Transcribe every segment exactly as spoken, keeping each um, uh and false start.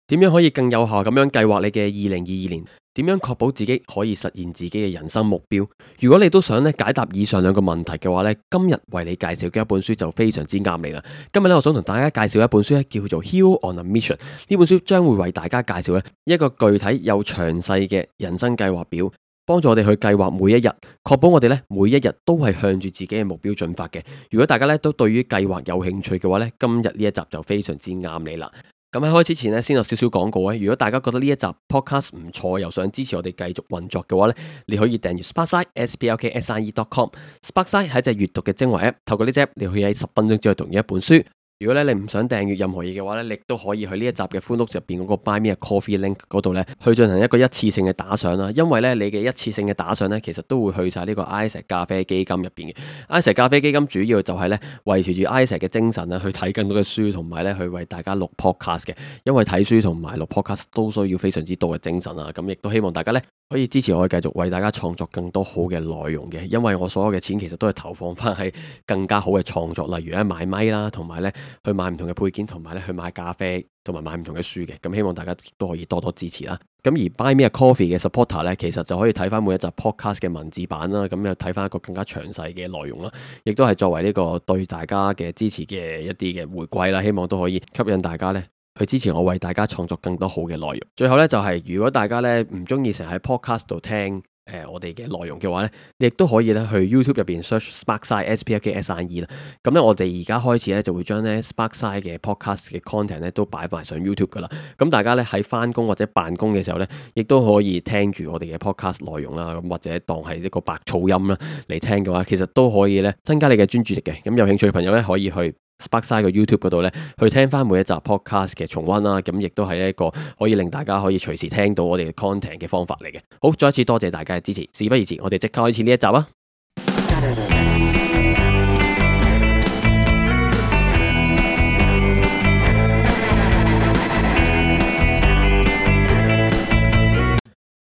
點樣可以更有效咁樣計劃你嘅二零二二年？點樣確保自己可以實現自己嘅人生目標？如果你都想咧解答以上兩個問題嘅話咧，今日為你介紹嘅一本書就非常之啱你啦。今日咧，我想同大家介紹一本書咧，叫做《Hero on a Mission》。呢本書將會為大家介紹咧一個具體又詳細嘅人生計劃表，幫助我哋去計劃每一日，確保我哋咧每一日都係向住自己嘅目標進發嘅。如果大家咧都對於計劃有興趣嘅話咧，今日呢一集就非常之啱你啦。咁喺開始前呢，先有少少廣告啊！如果大家覺得呢一集 podcast 唔錯，又想支持我哋繼續運作嘅話呢，你可以訂閱 Sparkside s p l k s i e dot com。Sparkside 係一隻閱讀嘅精華 app，透過呢隻 app 你可以喺十分鐘之內讀完一本書。如果咧你唔想訂閱任何嘢嘅話咧，你都可以去呢一集嘅 full notes 入邊嗰個 Buy Me a Coffee link 嗰度咧，去進行一個一次性嘅打賞啦。因為咧你嘅一次性嘅打賞咧，其實都會去晒呢個 Isaac 咖啡基金入邊嘅。Isaac 咖啡基金主要就係咧維持住 Isaac 嘅精神啦，去睇更多嘅書，同埋咧去為大家錄 podcast 嘅。因為睇書同埋錄 podcast 都需要非常之多嘅精神啊。咁亦都希望大家咧可以支持我，繼續為大家創作更多好嘅內容嘅。因為我所有嘅錢其實都係投放翻喺更加好嘅創作，例如咧買咪啦，同埋咧去買唔同嘅配件，同埋咧去買咖啡，同埋買唔同嘅書嘅。咁希望大家都可以多多支持啦。咁而 Buy Me a Coffee 嘅 supporter 咧，其實就可以睇翻每一集 podcast 嘅文字版啦，咁又睇翻一個更加詳細嘅內容啦，亦都係作為呢個對大家嘅支持嘅一啲嘅回饋啦。希望都可以吸引大家咧去支持我，為大家創作更多好嘅內容。最後咧就係、是、如果大家咧唔中意成日喺 podcast 度聽誒、呃、我哋嘅內容嘅話咧，你亦都可以咧去 YouTube 入邊 search Sparkside S P L K S I E 啦。咁咧我哋而家開始咧就會將咧 Sparkside 嘅 podcast 嘅 content 咧都擺埋上 YouTube 噶啦。咁大家咧喺翻工或者辦公嘅時候咧，亦都可以聽住我哋嘅 podcast 內容啦。咁或者當係一個白噪音啦嚟聽嘅話，其實都可以咧增加你嘅專注力嘅。咁有興趣嘅朋友咧可以去Sparkside 個 YouTube 嗰度咧，去聽翻每一集 podcast 嘅重溫啦，咁亦都係一個可以令大家可以隨時聽到我哋嘅 content 嘅方法嚟嘅。好，再一次多謝大家嘅支持，事不宜遲，我哋即刻開始呢一集啊！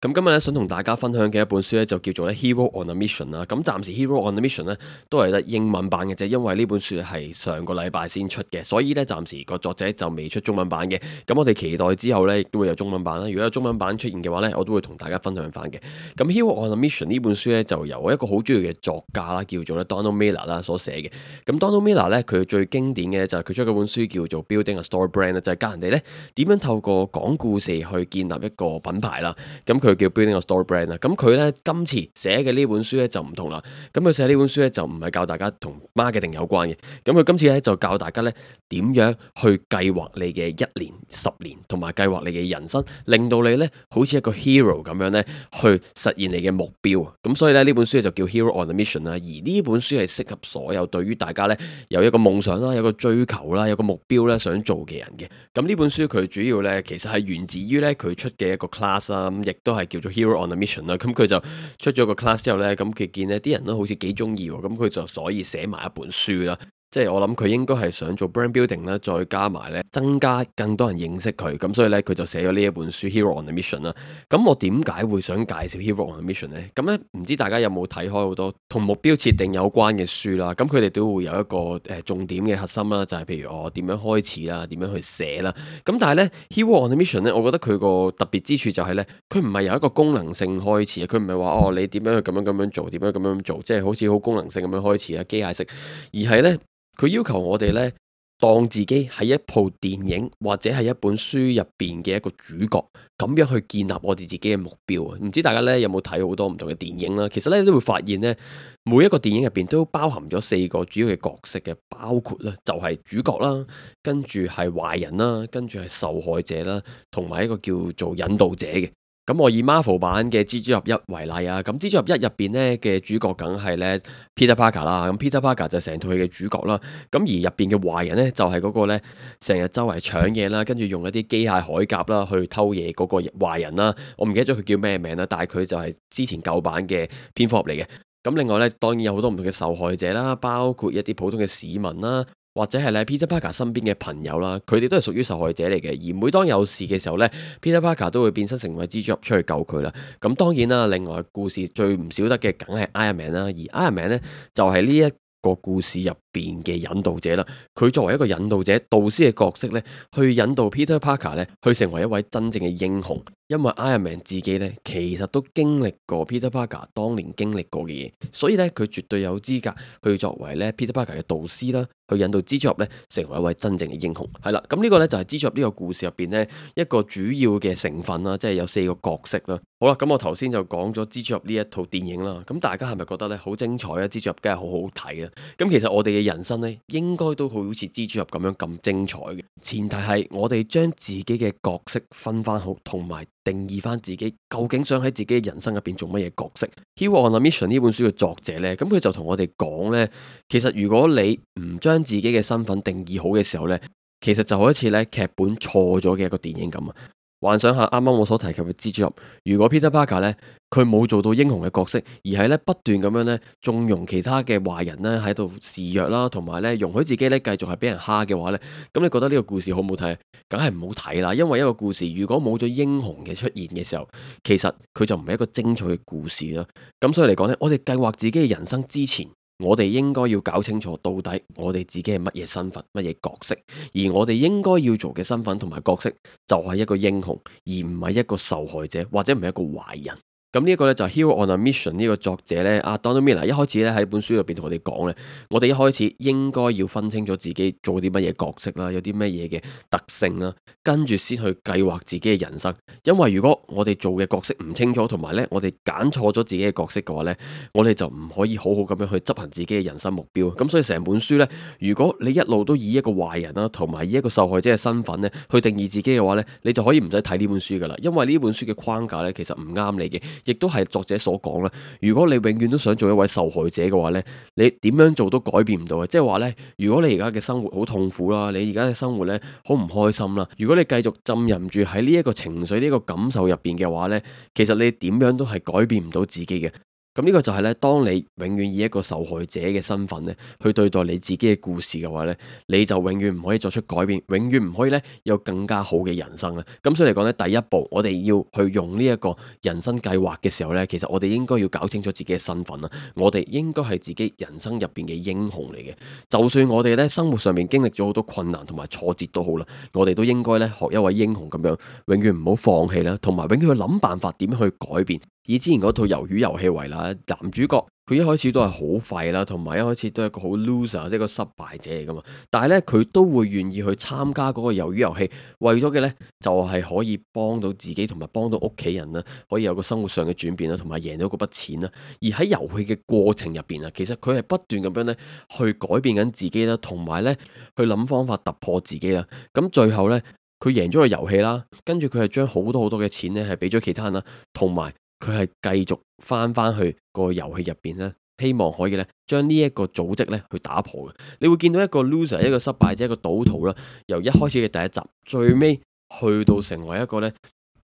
咁今日咧想同大家分享嘅一本書咧就叫做咧 Hero on a Mission 啦。咁暫時 Hero on a Mission 咧都係得英文版嘅啫，因為呢本書係上個禮拜先出嘅，所以咧暫時個作者就未出中文版嘅。咁我哋期待之後咧亦都會有中文版啦。如果有中文版出現嘅話咧，我都會同大家分享翻嘅。咁 Hero on a Mission 呢本書咧就由一個好中意嘅作家啦，叫做咧 Donald Miller 啦所寫嘅。咁 Donald Miller 咧佢最經典嘅就係佢出嗰本書叫做 Building a Store Brand 就係教人哋咧點樣透過講故事去建立一個品牌啦。咁佢叫 Building a Store Brand 啦，咁佢咧今次寫嘅呢本書咧就唔同啦，咁佢寫呢本書咧就唔係教大家同 marketing 有關嘅，咁佢今次咧就教大家咧點樣去計劃你嘅一年、十年，同埋計劃你嘅人生，令到你咧好似一個 hero 咁樣咧去實現你嘅目標。咁所以咧呢本書就叫 Hero on a Mission 啦，而呢本書係適合所有對於大家咧有一個夢想啦、有個追求啦、有個目標咧想做嘅人嘅。咁呢本書佢主要咧其實係源自於咧佢出嘅一個 class 啦，咁亦都係叫做 Hero on a Mission 啦。咁佢就出咗個 class 之後咧，咁佢見呢啲人都好似幾中意喎，咁佢就所以寫埋一本書啦。即係我諗佢應該係想做 brand building 啦，再加埋咧增加更多人認識佢，咁所以咧佢就寫咗呢一本書 Hero on a Mission 啦。咁我點解會想介紹 Hero on a Mission 呢？咁咧唔知大家有冇睇開好多同目標設定有關嘅書啦？咁佢哋都會有一個誒、呃、重點嘅核心啦，就係、是、譬如我點樣開始啦，點樣去寫啦。咁但係咧 Hero on a Mission 咧，我覺得佢個特別之處就係咧，佢唔係由一個功能性開始，佢唔係話哦你點樣去咁樣咁樣做，點樣咁樣做，即係好似好功能性咁樣開始啊，機械式，而係咧。佢要求我哋咧，當自己係一部電影或者係一本書入邊嘅一個主角，咁樣去建立我哋自己嘅目標啊！唔知大家咧有冇睇好多唔同嘅電影啦？其實咧都會發現咧，每一個電影入邊都包含咗四個主要嘅角色嘅，包括咧就係主角啦，跟住係壞人啦，跟住係受害者啦，同埋一個叫做引導者嘅。咁我以 Marvel 版嘅蜘蛛俠一為例啊，咁蜘蛛俠一入邊咧嘅主角梗係咧 Peter Parker 啦，咁 Peter Parker 就成套戲嘅主角啦，咁而入邊嘅壞人咧就係嗰個咧成日周圍搶嘢啦，跟住用一啲機械鎧甲啦去偷嘢嗰個壞人啦，我唔記得咗佢叫咩名啦，但係佢就係之前舊版嘅蝙蝠俠嚟嘅。咁另外咧當然有好多唔同嘅受害者啦，包括一啲普通嘅市民啦。或者係咧 Peter Parker 身邊嘅朋友啦，佢哋都係屬於受害者嚟嘅。而每當有事嘅時候咧 Peter Parker 都會變身成為蜘蛛俠出去救佢啦。咁當然啦，另外故事最唔少得嘅梗係 Iron Man 啦，而 Iron Man 咧就係呢一個故事入邊嘅引導者啦。佢作為一個引導者、導師嘅角色呢，去引導 Peter Parker 呢去成為一位真正嘅英雄。因為 Iron Man 自己呢，其實都經歷過 Peter Parker 當年經歷過嘅嘢，所以呢，佢絕對有資格去作為呢 Peter Parker 嘅導師啦，去引導蜘蛛俠呢成為一位真正嘅英雄。係啦，咁呢個呢，就係蜘蛛俠呢個故事入邊呢一個主要嘅成分啦，即係有四個角色啦。好啦，咁我頭先就講咗蜘蛛俠呢一套電影啦，咁大家係咪覺得呢好精彩啊？蜘蛛俠梗係好好睇啊！咁其實我哋嘅人生呢，應該都好似蜘蛛俠咁樣咁精彩嘅，前提係我哋將自己嘅角色分翻好，同埋定義翻自己究竟想喺自己嘅人生入邊做乜嘢角色。Hero on a Mission 呢本書嘅作者呢，咁佢就同我哋講呢，其實如果你唔將自己嘅身份定義好嘅時候呢，其實就好似呢劇本錯咗嘅一個電影咁啊！幻想下啱啱我所提及嘅蜘蛛俠，如果 Peter Parker 咧，佢冇做到英雄嘅角色，而係咧不斷咁樣咧縱容其他嘅壞人咧喺度示弱啦，同埋咧容許自己咧繼續係俾人蝦嘅話咧，咁你覺得呢個故事好唔好睇？梗係唔好睇啦，因為一個故事如果冇咗英雄嘅出現嘅時候，其實佢就唔係一個精彩嘅故事啦。咁所以嚟講咧，我哋計劃自己嘅人生之前，我哋應該要搞清楚到底我哋自己係乜嘢身份、乜嘢角色，而我哋應該要做嘅身份同埋角色就係一個英雄，而唔係一個受害者或者唔係一個壞人。咁呢一個咧就係 Hero on a Mission 呢個作者咧，阿 Donald Miller 一開始咧喺本書入邊同我哋講咧，我哋一開始應該要分清楚自己做啲乜嘢角色啦，有啲乜嘢嘅特性啦，跟住先去計劃自己嘅人生。因為如果我哋做嘅角色唔清楚，同埋咧我哋揀錯咗自己嘅角色嘅話咧，我哋就唔可以好好咁樣去執行自己嘅人生目標。咁所以成本書咧，如果你一路都以一個壞人啦，同埋以一個受害者嘅身份咧去定義自己嘅話咧，你就可以唔使睇呢本書噶啦，因為呢本書嘅框架咧其實唔啱你嘅。亦都係作者所講啦，如果你永遠都想做一位受害者嘅話呢，你點樣做都改變唔到嘅。即係話呢，如果你而家嘅生活好痛苦啦，你而家嘅生活呢好唔開心啦，如果你繼續浸淫住喺呢一個情緒、呢個感受入邊嘅話呢，其實你點樣都係改變唔到自己嘅。咁呢個就係咧，當你永遠以一個受害者嘅身份咧，去對待你自己嘅故事嘅話咧，你就永遠唔可以作出改變，永遠唔可以咧有更加好嘅人生啦。咁所以嚟講咧，第一步我哋要去用呢一個人生計劃嘅時候咧，其實我哋應該要搞清楚自己嘅身份啦。我哋應該係自己人生入邊嘅英雄嚟嘅。就算我哋咧生活上面經歷咗好多困難同埋挫折都好啦，我哋都應該咧學一位英雄咁樣，永遠唔好放棄啦，同埋永遠去諗辦法點樣去改變。以之前嗰套魷魚遊戲為例，男主角佢一開始都係好廢啦，同埋一開始都係一個好 loser，即係個失敗者嚟噶嘛。但係咧，佢都會願意去參加嗰個魷魚遊戲，為咗嘅咧就係可以幫到自己同埋幫到屋企人啦，可以有個生活上嘅轉變啦，同埋贏到嗰筆錢啦。而喺遊戲嘅過程入邊啊，其實佢係不斷咁樣咧去改變緊自己啦，同埋咧去諗方法突破自己啦。咁最後咧，佢贏咗個遊戲啦，跟住佢係將好多好多嘅錢咧係俾咗其他人啦，同埋佢係繼續翻翻去個遊戲入邊咧，希望可以咧將呢一個組織咧去打破嘅。你會見到一個 loser， 一個失敗者，一個賭徒啦，由一開始嘅第一集，最尾去到成為一個咧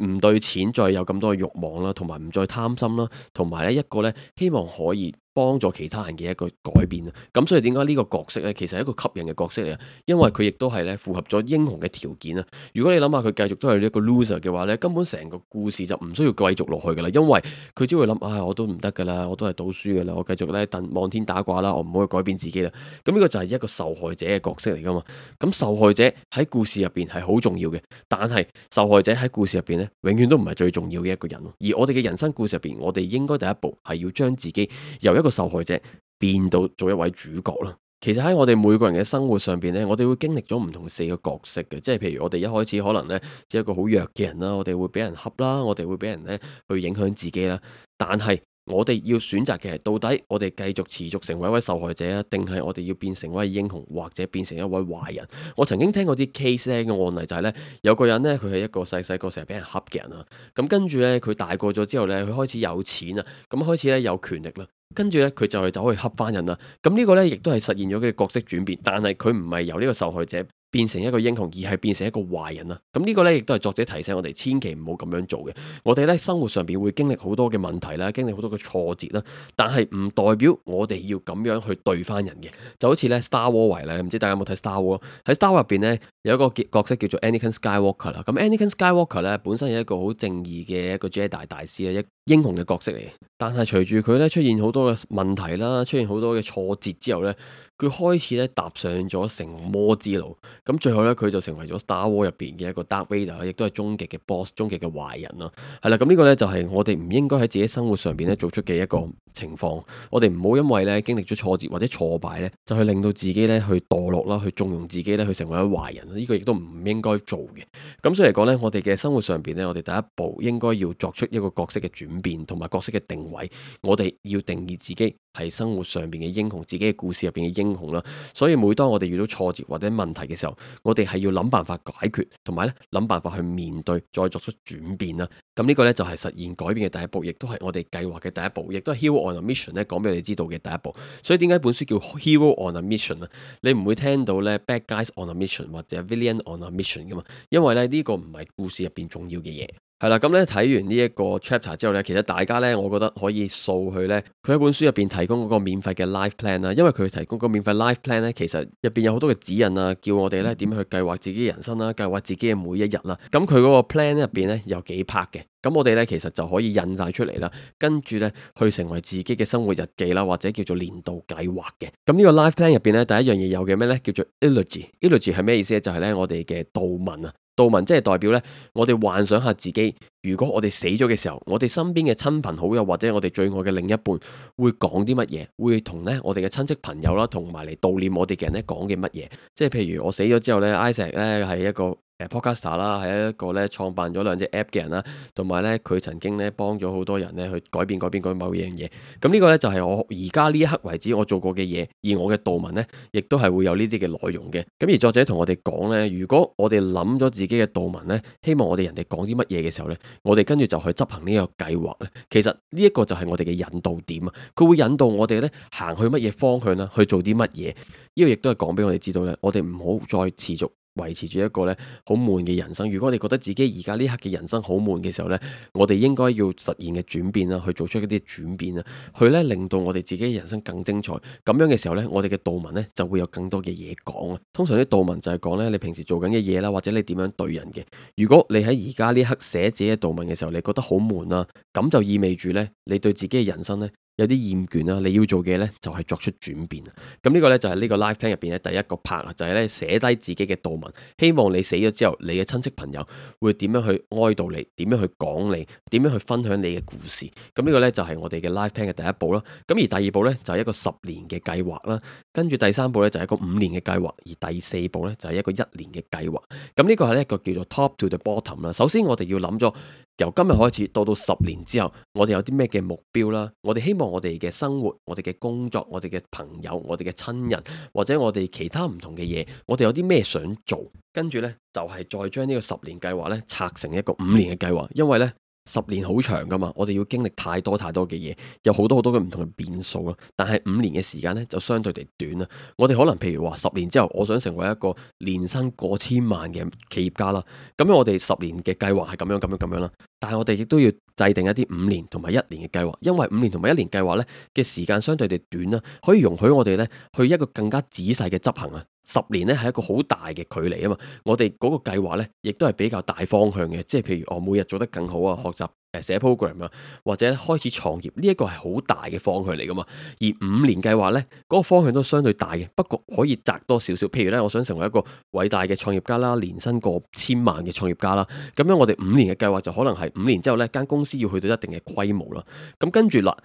唔對錢再有咁多嘅慾望啦，同埋唔再貪心啦，同埋咧一個咧希望可以幫助其他人嘅一個改變啊！咁所以點解呢個角色咧，其實係一個吸引嘅角色嚟啊？因為佢亦都係咧符合咗英雄嘅條件啊！如果你諗下佢繼續都係一個 loser 嘅話咧，根本成個故事就唔需要繼續落去噶啦，因為佢只會諗，唉、哎，我都唔得噶啦，我都係賭輸噶啦，我繼續咧等望天打卦啦，我唔可以改變自己啦。咁呢個就係一個受害者嘅角色嚟噶嘛？咁受害者喺故事入邊係好重要嘅，但係受害者喺故事入邊咧，永遠都唔係最重要嘅一個人。而我哋嘅人生故事入邊，我哋應該第一步係要將自己由一個受害者變到做一位主角啦。其實喺我哋每個人嘅生活上邊咧，我哋會經歷咗唔同四個角色嘅，即係譬如我哋一開始可能咧，只係一個好弱嘅人啦，我哋會俾人恰啦，我哋會俾人咧去影響自己啦。但係我哋要選擇嘅係，到底我哋繼續持續成為一位受害者啊，定係我哋要變成一位英雄，或者變成一位壞人？我曾經聽過啲 case 咧嘅案例就係咧，有個人咧佢係一個細細個成日俾人恰嘅人啊，咁跟住咧佢大個咗之後咧，佢開始有錢啊，咁開始咧有權力啦。跟住咧，佢就係走去恰翻人啦。咁呢個咧，亦都係實現咗佢嘅角色轉變。但係佢唔係由呢個受害者變成一個英雄，而係變成一個壞人啦。咁呢個咧，亦都係作者提醒我哋，千祈唔好咁樣做嘅。我哋咧生活上邊會經歷好多嘅問題啦，經歷好多嘅挫折啦，但係唔代表我哋要咁樣去對翻人嘅。就好似咧 Star Wars 為例，唔知大家有冇睇 Star Wars？喺 Star Wars 入邊咧，有一個角色叫做 Anakin Skywalker 啦。咁 Anakin Skywalker 咧本身係一個好正義嘅一個 Jedi 大師啊，一英雄嘅角色嚟嘅。但係隨住佢咧出現好多嘅問題啦，出現好多嘅挫折之後咧，佢開始咧踏上咗成魔之路。咁最後咧，佢就成為咗 Star Wars 入邊嘅一個 Darth Vader，亦都係終極嘅 boss，終極嘅壞人啦。係啦，咁呢個咧就係我哋唔應該喺自己生活上邊咧做出嘅一個情況。我哋唔好因為咧經歷咗挫折或者挫敗咧，就去令到自己咧去墮落啦，去縱容自己咧去成為一個壞人。呢個亦都唔應該做嘅。咁所以嚟講咧，我哋嘅生活上邊咧，我哋第一步應該要作出一個角色嘅轉變，同埋角色嘅定位。我哋要定義自己係生活上邊嘅英雄，自己嘅故事入邊嘅英雄啦。所以每當我哋遇到挫折或者問題嘅時候，我哋係要諗辦法解決，同埋咧諗辦法去面對，再作出轉變啦。咁呢個咧就係實現改變嘅第一步，亦都係我哋計劃嘅第一步，亦都係 Hero on a Mission 咧講俾你知道嘅第一步。所以點解本書叫 Hero on a Mission 啊？你唔會聽到咧 Bad Guys on a Mission 或者 Villain on a Mission 噶嘛？因為咧呢個唔係故事入邊重要嘅嘢。係啦，咁咧睇完呢一個 chapter 之後咧，其實大家咧，我覺得可以掃去咧，佢喺本書入邊提供嗰個免費嘅 life plan 啦。因為佢提供個免費 life plan 咧，其實入邊有好多嘅指引啊，叫我哋咧點樣去計劃自己嘅人生啦，計劃自己嘅每一日啦。咁佢嗰個 plan 入邊咧有幾 part 嘅，咁我哋咧其實就可以印晒出嚟啦，跟住咧去成為自己嘅生活日記啦，或者叫做年度計劃嘅。咁呢個 life plan 入邊咧，第一樣嘢有嘅咩咧，叫做 eulogy。eulogy 係咩意思咧？就係咧我哋嘅悼文啊。悼文即係代表咧，我哋幻想下自己，如果我哋死咗嘅時候，我哋身邊嘅親朋好友或者我哋最愛嘅另一半會講啲乜嘢？會同咧我哋嘅親戚朋友啦，同埋嚟悼念我哋嘅人咧講嘅乜嘢？即係譬如我死咗之後咧，Isaac 咧係一個誒 podcaster 啦，係一個咧創辦咗兩隻 app 嘅人啦，同埋咧佢曾經咧幫咗好多人咧去改變改變改變某樣嘢。咁呢個咧就係我而家呢一刻為止我做過嘅嘢，而我嘅悼文咧亦都係會有呢啲嘅內容嘅。咁而作者同我哋講咧，如果我哋諗咗自己嘅悼文咧，希望我哋人哋講啲乜嘢嘅時候咧，我哋跟住就去執行呢個計劃咧。其實呢一個就係我哋嘅引導點啊，佢會引導我哋咧行去乜嘢方向啦，去做啲乜嘢。呢個亦都係講俾我哋知道咧，我哋唔好再持續維持住一個咧好悶嘅人生。如果我哋覺得自己而家呢刻嘅人生好悶嘅時候咧，我哋應該要實現嘅轉變啦，去做出一啲轉變啦，去咧令到我哋自己嘅人生更精彩。咁樣嘅時候咧，我哋嘅悼文咧就會有更多嘅嘢講啊。通常啲悼文就係講咧你平時做緊嘅嘢啦，或者你點樣對人嘅。如果你喺而家呢刻寫自己嘅悼文嘅時候，你覺得好悶啦，咁就意味住咧你對自己嘅人生咧有啲厭倦啦，你要做嘅咧就係作出轉變。咁呢個咧就係呢個 life plan 入邊嘅第一個 part 啊，就係咧寫低自己嘅悼文，希望你死咗之後，你嘅親戚朋友會點樣去哀悼你，點樣去講你，點樣去分享你嘅故事。咁呢個咧就係我哋嘅 life plan 嘅第一步啦。咁而第二步咧就係一個十年嘅計劃啦，跟住第三步咧就係一個五年嘅計劃，而第四步咧就係一個一年嘅計劃。咁呢個係一個叫做 top to the bottom 啦。首先我哋要諗咗由今日開始到到十年之後，我哋有啲咩嘅目標啦？我哋希望我哋嘅生活、我哋嘅工作、我哋嘅朋友、我哋嘅親人，或者我哋其他唔同嘅嘢，我哋有啲咩想做？跟住呢，就係再將呢個十年計劃呢拆成一個五年嘅計劃，因為呢，十年好長噶嘛，我哋要經歷太多太多嘅嘢，有好多好多嘅唔同嘅變數啦。但係五年嘅時間呢，就相對地短啦。我哋可能譬如話十年之後，我想成為一個年薪過千萬嘅企業家啦。咁樣我哋十年嘅計劃係咁樣咁樣咁樣啦。但係我哋亦都要制定一啲五年同埋一年嘅計劃，因為五年同埋一年計劃呢嘅時間相對地短啦，可以容許我哋呢去一個更加仔細嘅執行啊。十年呢係一個好大嘅距離啊嘛，我哋嗰個計劃呢亦都係比較大方向嘅，即係譬如我每日做得更好啊，學習誒寫 program 啊，或者開始創業，呢一個係好大嘅方向嚟噶嘛。而五年計劃呢，嗰個方向都相對大嘅，不過可以窄多少少。譬如呢，我想成為一個偉大嘅創業家啦，年薪過千萬嘅創業家啦，咁樣我哋五年嘅計劃就可能係五年之後呢間公司要去到一定嘅規模啦。咁跟住啦，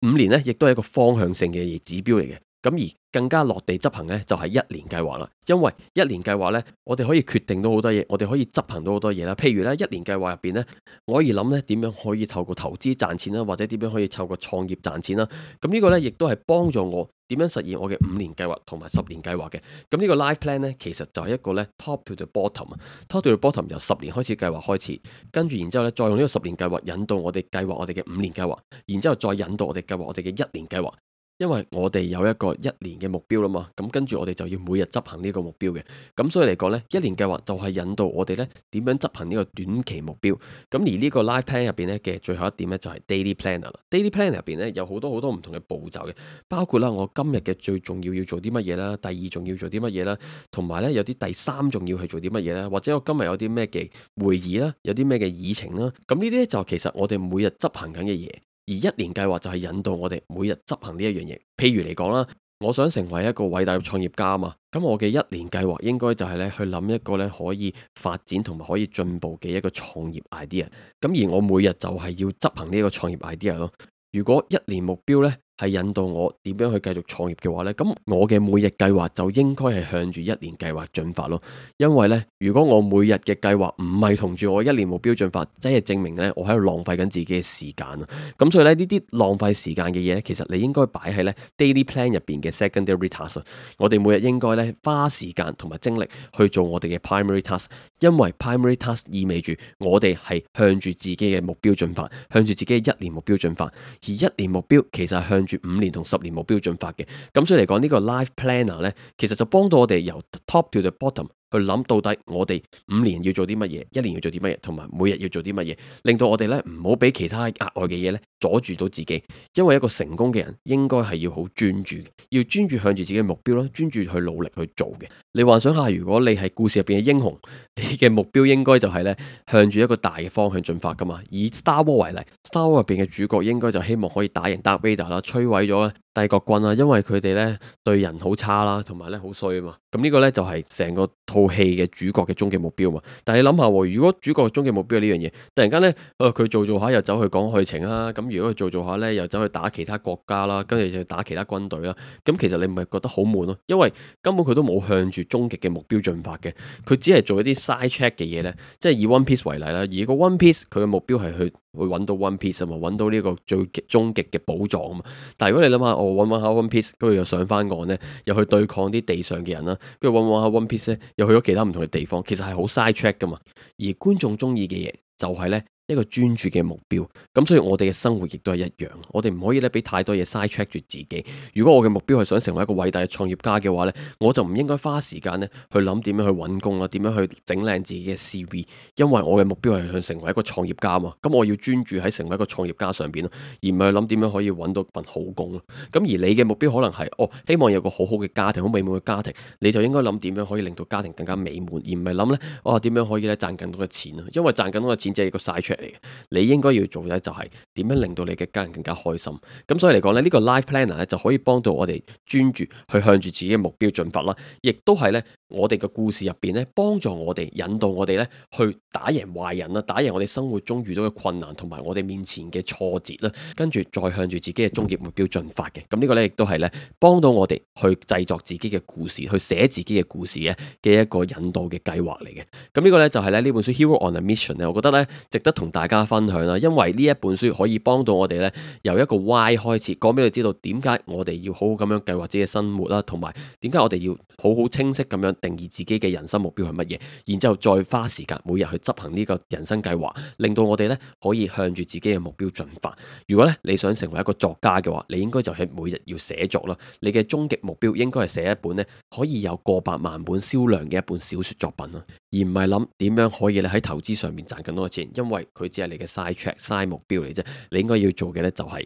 五年呢亦都係一個方向性嘅指標嚟嘅。咁而更加落地執行呢，就係一年計劃啦。因為一年計劃呢，我哋可以決定到好多嘢，我哋可以執行到好多嘢啦。譬如呢，一年計劃入邊呢，我可以諗呢點樣可以透過投資賺錢啦，或者點樣可以透過創業賺錢啦。咁呢個呢，亦都係幫助我點樣實現我嘅五年計劃同埋十年計劃嘅。咁呢個 life plan 呢，其實就係一個呢 top to the bottom 啊，top to the bottom 由十年開始計劃開始，跟住然之後呢，再用呢個十年計劃引導我哋計劃我哋嘅五年計劃，然之後再引導我哋計劃我哋嘅一年計劃。因為我哋有一個一年嘅目標啦嘛，咁跟住我哋就要每日執行呢個目標嘅。咁所以嚟講呢，一年計劃就係引導我哋呢點樣執行呢個短期目標。咁而呢個 life plan 入邊呢嘅最後一點呢，就係 daily planner 啦。daily planner 入邊呢有好多好多唔同嘅步驟嘅，包括啦我今日嘅最重要要做啲乜嘢啦，第二重要做啲乜嘢啦，同埋呢有啲第三重要去做啲乜嘢啦，或者我今日有啲咩嘅會議啦，有啲咩嘅議程啦。咁呢啲就其實我哋每日執行緊嘅嘢。而一年計劃就係引導我哋每日執行呢一樣嘢。譬如嚟講啦，我想成為一個偉大嘅創業家嘛，咁我嘅一年計劃應該就係咧去諗一個咧可以發展同埋可以進步嘅一個創業 idea。咁而我每日就係要執行呢個創業 idea 咯。如果一年目標呢係引導我點樣去繼續創業嘅話呢，咁我嘅每日計劃就應該係向住一年計劃進發咯。因為呢，如果我每日嘅計劃唔係同住我一年目標進發，即係證明呢我喺度浪費緊自己嘅時間啊。咁所以呢，呢啲浪費時間嘅嘢呢，其實你應該擺喺呢 daily plan 入邊嘅 secondary task。我哋每日應該呢花時間同埋精力去做我哋嘅 primary task，因為 primary task 意味住我哋係向住自己嘅目標進發，向住自己嘅一年目標進發。而一年目標其實係向住五年同十年目標進發嘅，咁所以嚟講呢個 life planner 呢，其實就幫到我哋由 top to the bottom 去諗到底我哋五年要做啲乜嘢，一年要做啲乜嘢，同埋每日要做啲乜嘢，令到我哋呢唔好俾其他額外嘅嘢呢阻住到自己。因為一個成功嘅人應該係要好專注嘅，要專注向住自己嘅目標咯，專注去努力去做嘅。你幻想下，如果你係故事入邊嘅英雄，你嘅目標應該就係呢向住一個大嘅方向進發噶嘛。以 Star Wars 為例，Star Wars 入邊嘅主角應該就希望可以打贏 Darth Vader 啦，摧毀咗帝國軍啦，因為佢哋呢對人好差啦，同埋呢好衰啊嘛。咁呢個呢，就係成個套戲嘅主角嘅終極目標嘛。但係你諗下，如果主角嘅終極目標係呢樣嘢，突然間呢，誒佢做做下又走去講愛情啦，咁如果佢做做下呢，又走去打其他國家啦，跟住就打其他軍隊啦，咁其實你唔係覺得好悶咯？因為根本佢都冇向住終極嘅目標進發嘅，佢只係做一啲 side track 嘅嘢呢。即係以 One Piece 為例啦，而個 One Piece 佢嘅目標係去會揾到 One Piece 啊嘛，揾到呢個最終極嘅寶藏啊嘛。但係如果你諗下，我揾揾下 One Piece，跟住又上翻岸呢，又去對抗啲地上嘅人啦，跟住揾揾下 One Piece 咧，又去咗其他唔同嘅地方，其實係好 side track 噶嘛。而觀眾中意嘅嘢就係呢一個專注嘅目標，咁所以我哋嘅生活亦都係一樣，我哋唔可以咧俾太多嘢 side track 住自己。如果我嘅目標係想成為一個偉大嘅創業家嘅話呢，我就唔應該花時間咧去諗點樣去揾工啦，點樣去整靚自己嘅 C V， 因為我嘅目標係想成為一個創業家嘛。咁我要專注喺成為一個創業家上邊咯，而唔係去諗點樣可以揾到份好工咯。咁而你嘅目標可能係哦，希望有個好好嘅家庭，好美滿嘅家庭，你就應該諗點樣可以令到家庭更加美滿，而唔係諗呢：「哦點樣可以咧賺更多嘅錢咯。」因為賺更多嘅錢只係一個 side track 嚟嘅，你應該要做嘅就係點樣令到你嘅家人更加開心。咁所以嚟講咧，呢個 life planner 咧就可以幫到我哋專注去向住自己嘅目標進發啦，亦都係咧我哋嘅故事入邊咧幫助我哋引導我哋咧去打贏壞人啦，打贏我哋生活中遇到嘅困難同埋我哋面前嘅挫折啦，跟住再向住自己嘅終極目標進發嘅。咁呢個咧亦都係咧幫到我哋去製作自己嘅故事，去寫自己嘅故事嘅嘅一個引導嘅計劃嚟嘅。咁呢個咧就係咧呢本書 Hero on a Mission 咧，我覺得咧值得同大家分享啦，因為呢一本書可以幫到我哋咧由一個 why 開始，講俾你知道點解我哋要好好咁樣計劃自己嘅生活啦，同埋點解我哋要好好清晰咁樣定義自己嘅人生目標係乜嘢，然之後再花時間每日去執行呢個人生計劃，令到我哋咧可以向住自己嘅目標進發。如果咧你想成為一個作家嘅話，你應該就係每日要寫作啦。你嘅終極目標應該係寫一本咧可以有過百萬本銷量嘅一本小說作品啦，而唔係諗點樣可以咧喺投資上面賺更多嘅錢，因為佢只係你嘅 side track side 目標嚟啫。你應該要做嘅咧就係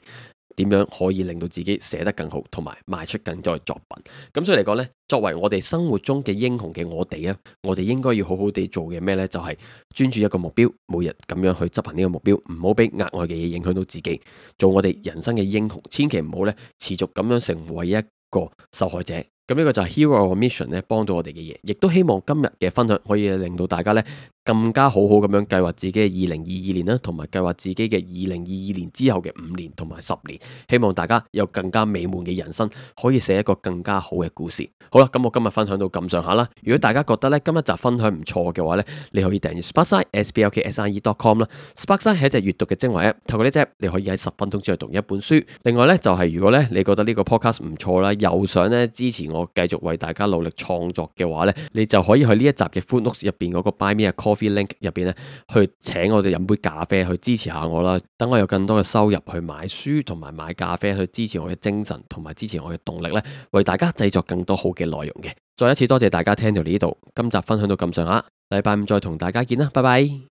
點樣可以令到自己寫得更好，同埋賣出更多嘅作品。咁所以嚟講呢，作為我哋生活中嘅英雄嘅我哋啊，我哋應該要好好地做嘅咩呢？就係專注一個目標，每日咁樣去執行呢個目標，唔好俾額外嘅嘢影響到自己，做我哋人生嘅英雄。千祈唔好呢持續咁樣成為一個受害者。咁呢個就係 Hero on a Mission 咧幫到我哋嘅嘢，亦都希望今日嘅分享可以令到大家呢更加好好咁樣計劃自己嘅二零二二年啦，同埋計劃自己嘅二零二二年之後嘅五年同埋十年。希望大家有更加美滿嘅人生，可以寫一個更加好嘅故事。好啦，咁我今日分享到咁上下啦。如果大家覺得呢今日集分享唔錯嘅話呢，你可以訂閱 Sparkside S P L K S I E dot com 啦。Sparkside 係一隻閱讀嘅精華 App， 透過呢隻 App 你可以喺十分鐘之內讀一本書。另外呢，就係、是、如果呢你覺得呢個 podcast 唔錯啦，又想呢支持我繼續為大家努力創作嘅話呢，你就可以去呢一集嘅 Footnotes 入邊嗰個 Buy Me a Coffee Coffee Link 入邊咧，去請我哋飲杯咖啡去支持下我啦，等我有更多嘅收入去買書同埋買咖啡去支持我嘅精神同埋支持我嘅動力咧，為大家製作更多好嘅內容嘅。再一次多謝大家聽到呢度，今集分享到咁上下，禮拜五再同大家見啦，拜拜。